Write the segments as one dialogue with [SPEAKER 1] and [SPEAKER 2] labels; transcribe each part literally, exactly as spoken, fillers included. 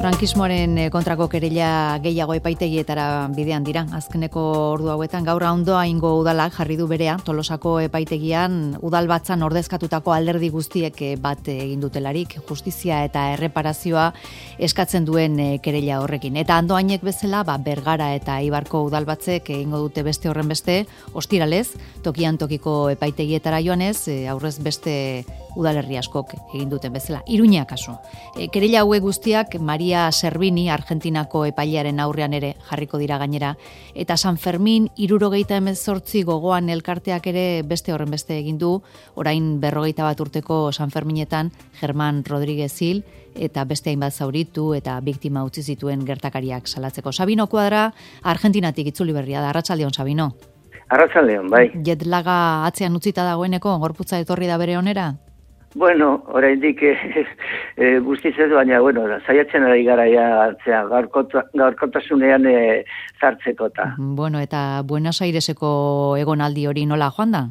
[SPEAKER 1] Frankismoaren kontrako kereila gehiago epaitegietara bidean dira. Azkeneko ordu hauetan gaur Ondoa ingo udalak jarri du berea Tolosako epaitegian udalbatzan ordezkatutako alderdi guztiek bat egin dutelarik justizia eta erreparazioa eskatzen duen kereila horrekin. Eta Andoainek bezala, ba, Bergara eta Eibarko udalbatzek egingo dute beste horren beste, ostiralez, tokian tokiko epaitegietara joanez, aurrez beste udalerri askok egin duten bezala. Iruña kasu. E, kereila hauek guztiak Maria Servini, Argentinako epailearen aurrean ere jarriko dira gainera. Eta San Fermin, hirurogeita hemezortzi gogoan elkarteak ere beste horren beste egin du, orain berrogeita bat urteko San Ferminetan, Germán Rodríguez Hil, eta beste hainbat zauritu eta biktima utzi zituen gertakariak salatzeko. Sabino Kuadra, Argentinatik itzuli berria da. Arratsaldeon, Sabino.
[SPEAKER 2] Arratsaldeon, bai.
[SPEAKER 1] Jetlaga atzean utzita dagoeneko, gorputza etorri da bere onera?
[SPEAKER 2] Bueno, oraindik eh, eh, guztiz ez, baina, bueno, saiatzen ari gara ja atzea, gaurkotasunean eh, zartzekota.
[SPEAKER 1] Bueno, eta Buenos Aireseko egonaldi hori nola joan da?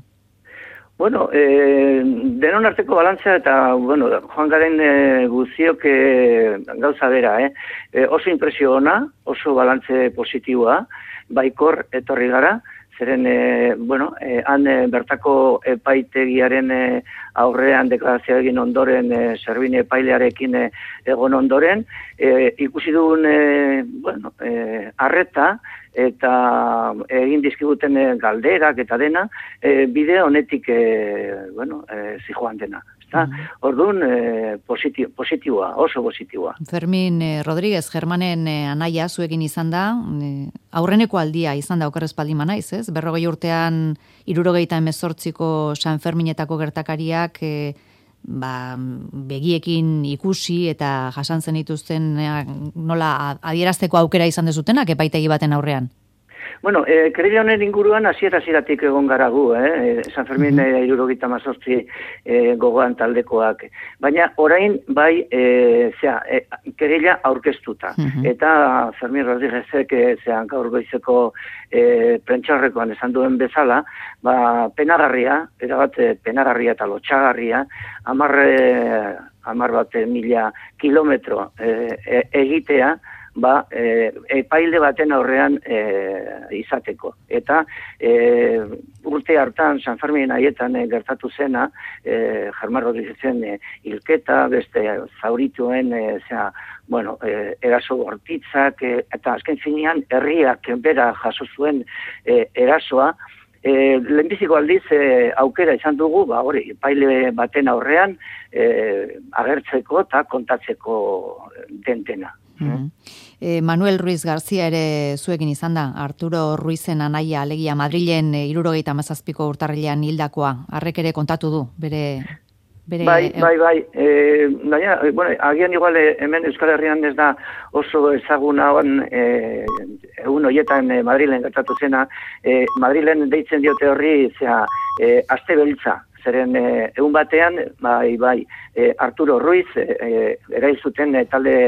[SPEAKER 2] Bueno, eh, denon arteko balantzea eta, bueno, joan garen eh, guztiok eh, gauza bera, eh? eh? Oso impresio ona, oso balantze positiboa, baikor etorri gara, zeren, e, bueno, e, han e, bertako epaitegiaren e, aurrean deklarazioa egin ondoren, e, Servini epailearekin e, egon ondoren, e, ikusi dugun, e, bueno, e, arreta eta egin dizkiguten e, galderak eta dena, e, bide honetik, e, bueno, e, zijoan dena. Orduan, eh, positibo, positiboa, oso positiboa.
[SPEAKER 1] Fermin eh, Rodríguez, Germanen eh, anaia zuekin izan da, eh, aurreneko aldia izan da okerrez paldi manaiz, ez? Berrogei urtean, hirurogeita hemezortziko San Ferminetako gertakariak eh, ba, begiekin ikusi eta jasan zen dituzten eh, nola adierazteko aukera izan dezutenak epaitegi baten aurrean.
[SPEAKER 2] Bueno, eh, kereila honen inguruan hasiera-hasieratik egon gara gu, eh? San Fermin eh, hirurogeita hemezortzi eh, gogoan taldekoak. Baina orain bai, eh, zera, eh, kereila aurkeztuta. Uh-huh. Eta Fermin Rodríguezek eh, zean gaur goizeko eh, prentxaurrekoan esan duen bezala, ba, penagarria, erabat penagarria eta lotxagarria, hamar eh, hamar bat mila kilometro eh, egitea, ba, e, epaile baten aurrean e, izateko. Eta e, urte hartan, San Fermin haietan e, gertatu zena, e, Germán Rodríguezen e, hilketa, beste zaurituen, e, zera, bueno, e, eraso bortitzak, e, eta azken finean herriak bera jaso zuen e, erasoa, E, lehenbiziko aldiz e, aukera izan dugu, ba, hori, epaile baten aurrean e, agertzeko eta kontatzeko dentena.
[SPEAKER 1] Mm-hmm. E, Manuel Ruiz García ere zuekin izan da, Arturo Ruizen anaia alegia Madrilen e, hirurogeita hamazazpiko urtarrilean hildakoa, harrek ere kontatu du, bere... Bere,
[SPEAKER 2] bai, bai, bai, e, baina, bueno, agian igual hemen Euskal Herrian ez da oso ezaguna on, e, egun horietan e, Madrilen gertatu zena, e, Madrilen deitzen diote horri, zera, e, aste beltza, zeren e, egun batean, bai, bai, e, Arturo Ruiz, e, erail zuten e, talde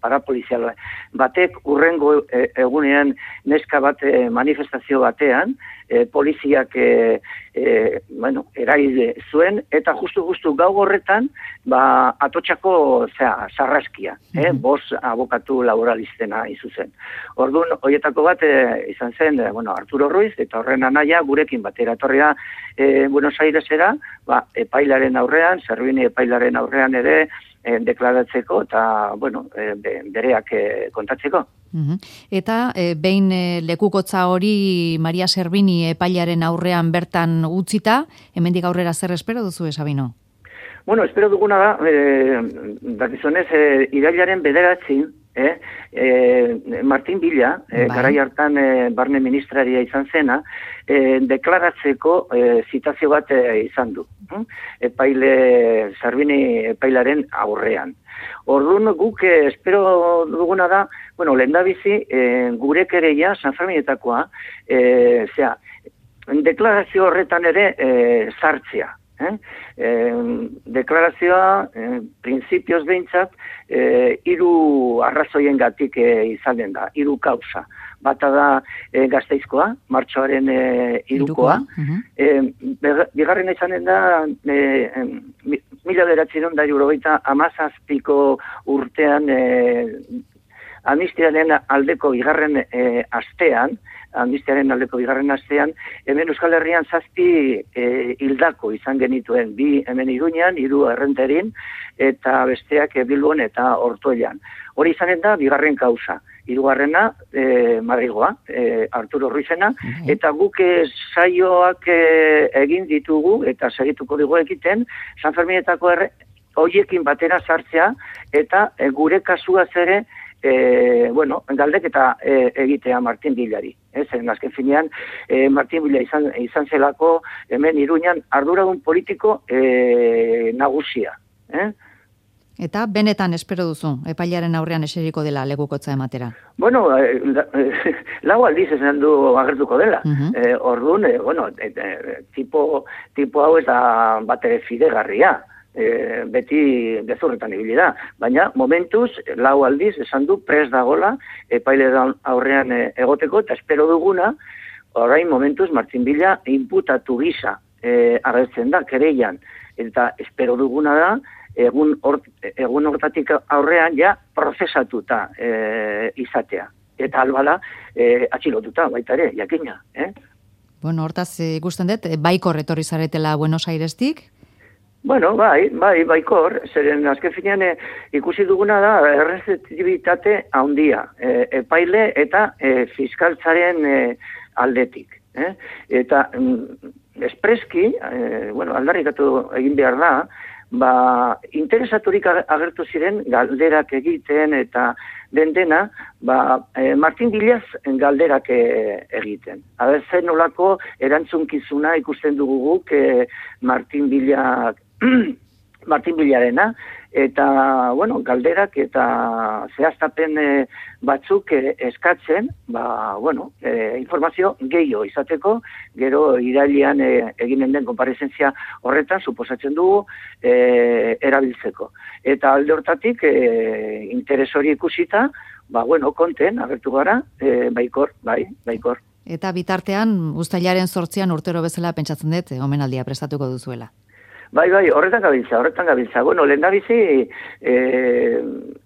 [SPEAKER 2] parapolizial batek, urrengo e, egunean neska bat e, manifestazio batean, e, poliziak e, e, bueno, erail zuen, eta justu-justu gau horretan, ba, atotxako zera, sarraskia, eh? Bos abokatu laboralistena izuzen. Orduan, horietako bat e, izan zen, e, bueno, Arturo Ruiz, eta horren anaia gurekin batera etorria e, Buenos Airesera, ba, epailaren aurrean, Servini epailaren aurrean ere, e, deklaratzeko eta, bueno, e, bereak e, kontatzeko.
[SPEAKER 1] Uh-huh. Eta e, behin e, lekukotza hori Maria Servini epailaren aurrean bertan utzita, hemendik aurrera zer espero duzu, Sabino?
[SPEAKER 2] Bueno, espero duguna da, e, dakizunez, e, irailaren bederatzi, eh? E, Martin Villa, e, garai hartan e, barne ministraria izan zena, e, deklaratzeko e, zitazio bat e, izan du. Hm? Epaile, Servini epailaren aurrean. Orduan guk eh, espero duguna da, bueno, lehendabizi, eh, gure kereia, San Ferminetakoa, eh, zera, deklarazio horretan ere eh, sartzea. Eh? Eh, deklarazioa, eh, prinsipioz behintzat, eh, hiru arrazoien gatik eh, izanen da, hiru kausa. Bata da eh, Gasteizkoa, martxoaren eh, hirukoa. Uh-huh. eh, bigarren izanen da, eh, mila bederatziehun eta hirurogeita hamazazpiko urtean eh, amnistiaren aldeko bigarren e, astean, amnistiaren aldeko bigarren astean, hemen Euskal Herrian zazpi e, hildako izan genituen, bi hemen Iruñan, hiru Errenterin, eta besteak e, Bilbon eta Ortuellan. Hori izanen da bigarren kausa. Hirugarrena e, Madrigoa, e, Arturo Ruizena, eta guk e, saioak e, egin ditugu, eta segituko dugu egiten, San Ferminetako erre, hoiekin batera sartzea, eta e, gure kasuaz ere, e, bueno, galdeketa e, egitea Martin Villari. Ez, azken finean, e, Martin Villa izan, izan zelako hemen Iruñan arduradun politiko e, nagusia. Eh?
[SPEAKER 1] Eta benetan espero duzu, epailaren aurrean eseriko dela legukotza ematera?
[SPEAKER 2] Bueno, eh, eh, lau aldiz esan du agertuko dela. Uh -huh. eh, orduan, eh, bueno, eh, eh, tipo, tipo hau ez da batere fidegarria. E, beti gezurretan ibili da, baina momentuz lau aldiz esan du prest dagola epaile aurrean e, egoteko, eta espero duguna, orain momentuz Martin Villa inputatu gisa e, agertzen da, kereian, eta espero duguna da egun, or, egun hortatik aurrean ja prozesatuta e, izatea, eta albala e, atxilotuta baita ere, jakina. Eh?
[SPEAKER 1] Bueno, hortaz ikusten dut, baikor etorri zaretela Buenos Airestik?
[SPEAKER 2] Bueno, bai, bai, baikor, zeren azken finean e, ikusi duguna da errezeptibitate handia, e, epaile eta e, fiskaltzaren e, aldetik. Eh? Eta mm, espreski, e, bueno, aldarrikatu egin behar da, ba, interesaturik agertu ziren galderak egiten eta den dena, ba, e, Martin Villaz galderak e, egiten. Aber, zen nolako erantzunkizuna ikusten dugu guk e, Martin Villak Martin Villarena, eta, bueno, galderak eta zehaztapen e, batzuk e, eskatzen, ba, bueno, e, informazio gehiago izateko, gero irailean e, eginen den konparezentzia horretan, suposatzen dugu, e, erabiltzeko. Eta alde hortatik, e, interes hori ikusita, ba, bueno, konten, agertu gara, e, baikor, bai, baikor.
[SPEAKER 1] Eta bitartean, uztailaren zortzian urtero bezala pentsatzen dut, omenaldia prestatuko duzuela.
[SPEAKER 2] Bai, bai, horretan gabiltza, horretan gabiltza. Bueno, lehen da bizi, e,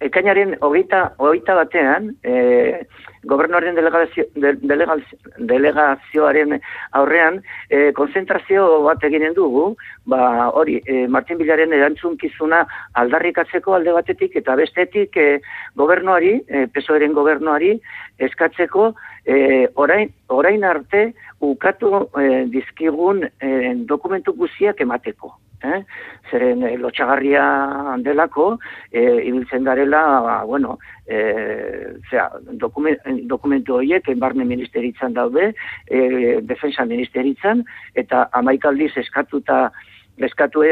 [SPEAKER 2] ekainaren hogeita, hogeita batean, e, gobernuaren delegazio, de, delegazio, delegazioaren aurrean, e, konzentrazio bat eginen dugu, ba, hori, e, Martin Villaren erantzunkizuna aldarrikatzeko alde batetik, eta bestetik e, gobernuari, e, P S O E-ren gobernuari, eskatzeko, e, orain, orain arte, ukatu e, dizkigun e, dokumentu guziak emateko. Eh? Zeren e, lotxagarria delako, e, ibiltzen garela, ba, bueno, e, zera, dokumen, dokumentu horiek barne ministeritzan daude, e, defensa ministeritzan, eta amaikaldiz eskatuta eskatu,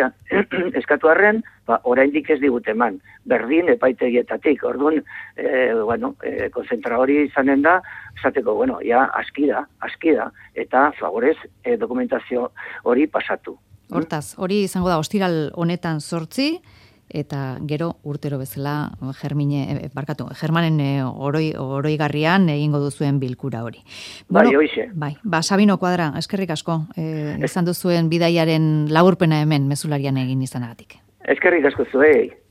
[SPEAKER 2] eskatu arren, ba, oraindik ez digut eman, berdin epaitegietatik. Orduan, e, bueno, e, konzentra hori izanen da, esateko, bueno, ja, aski da, aski da, eta favorez e, dokumentazio hori pasatu.
[SPEAKER 1] Hortaz, hori izango da ostiral honetan zortzi, eta gero urtero bezala Germine, barkatu, Germanen oroi, oroigarrian egingo duzuen bilkura hori.
[SPEAKER 2] Bai, bueno, hoize.
[SPEAKER 1] Bai, ba, Sabino Kuadra, eskerrik asko, e, izan duzuen bidaiaren laburpena hemen mezularian egin izanagatik.
[SPEAKER 2] Eskerrik asko zuei.